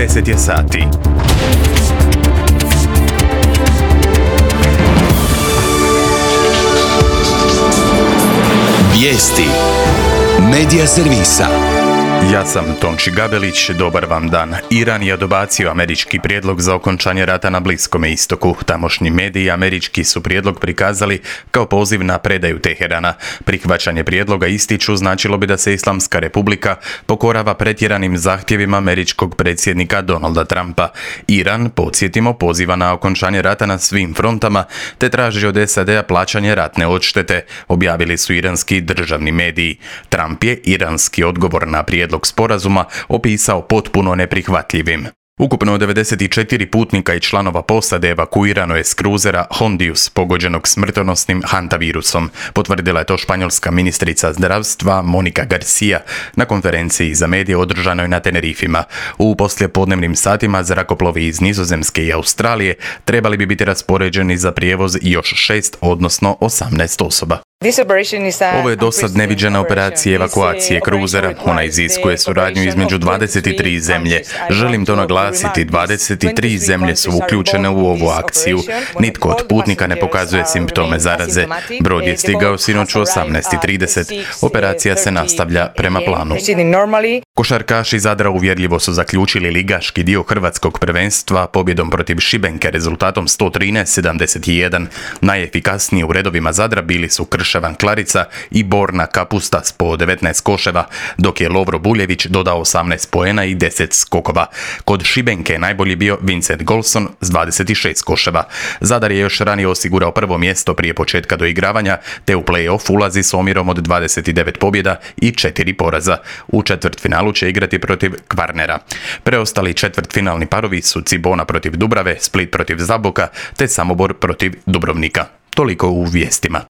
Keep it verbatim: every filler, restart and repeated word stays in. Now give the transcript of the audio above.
deset je sati. Vijesti Medija servisa. Ja sam Tonči Gabelić, dobar vam dan. Iran je odbacio američki prijedlog za okončanje rata na Bliskome istoku. Tamošnji mediji američki su prijedlog prikazali kao poziv na predaju Teherana. Prihvaćanje prijedloga, ističu, značilo bi da se Islamska republika pokorava pretjeranim zahtjevima američkog predsjednika Donalda Trumpa. Iran, podsjetimo, poziva na okončanje rata na svim frontama te traži od S A D-a plaćanje ratne odštete, objavili su iranski državni mediji. Trump je iranski odgovor na prijedlog sporazuma opisao potpuno neprihvatljivim. Ukupno devedeset četiri putnika i članova posade evakuirano je s kruzera Hondius, pogođenog smrtonosnim hantavirusom. Potvrdila je to španjolska ministrica zdravstva Monika Garcia na konferenciji za medije održanoj na Tenerifima. U poslijepodnevnim satima zrakoplovi iz Nizozemske i Australije trebali bi biti raspoređeni za prijevoz još šest, odnosno osamnaest osoba. Ovo je dosad neviđena operacija evakuacije kruzera. Ona iziskuje suradnju između dvadeset tri zemlje. Želim to naglasiti, dvadeset tri zemlje su uključene u ovu akciju. Nitko od putnika ne pokazuje simptome zaraze. Brod je stigao sinoć u osamnaest i trideset. Operacija se nastavlja prema planu. Košarkaši Zadra uvjerljivo su zaključili ligaški dio hrvatskog prvenstva pobjedom protiv Šibenke rezultatom sto trinaest sedamdeset jedan. Najefikasniji u redovima Zadra bili su Krševan Klarica i Borna Kapusta s po devetnaest koševa, dok je Lovro Buljević dodao osamnaest poena i deset skokova. Kod Šibenke je najbolji bio Vincent Golson s dvadeset šest koševa. Zadar je još ranije osigurao prvo mjesto prije početka doigravanja, te u play-off ulazi s omjerom od dvadeset devet pobjeda i četiri poraza. U četvrtfinalu će igrati protiv Kvarnera. Preostali četvrtfinalni parovi su Cibona protiv Dubrave, Split protiv Zaboka, te Samobor protiv Dubrovnika. Toliko u vijestima.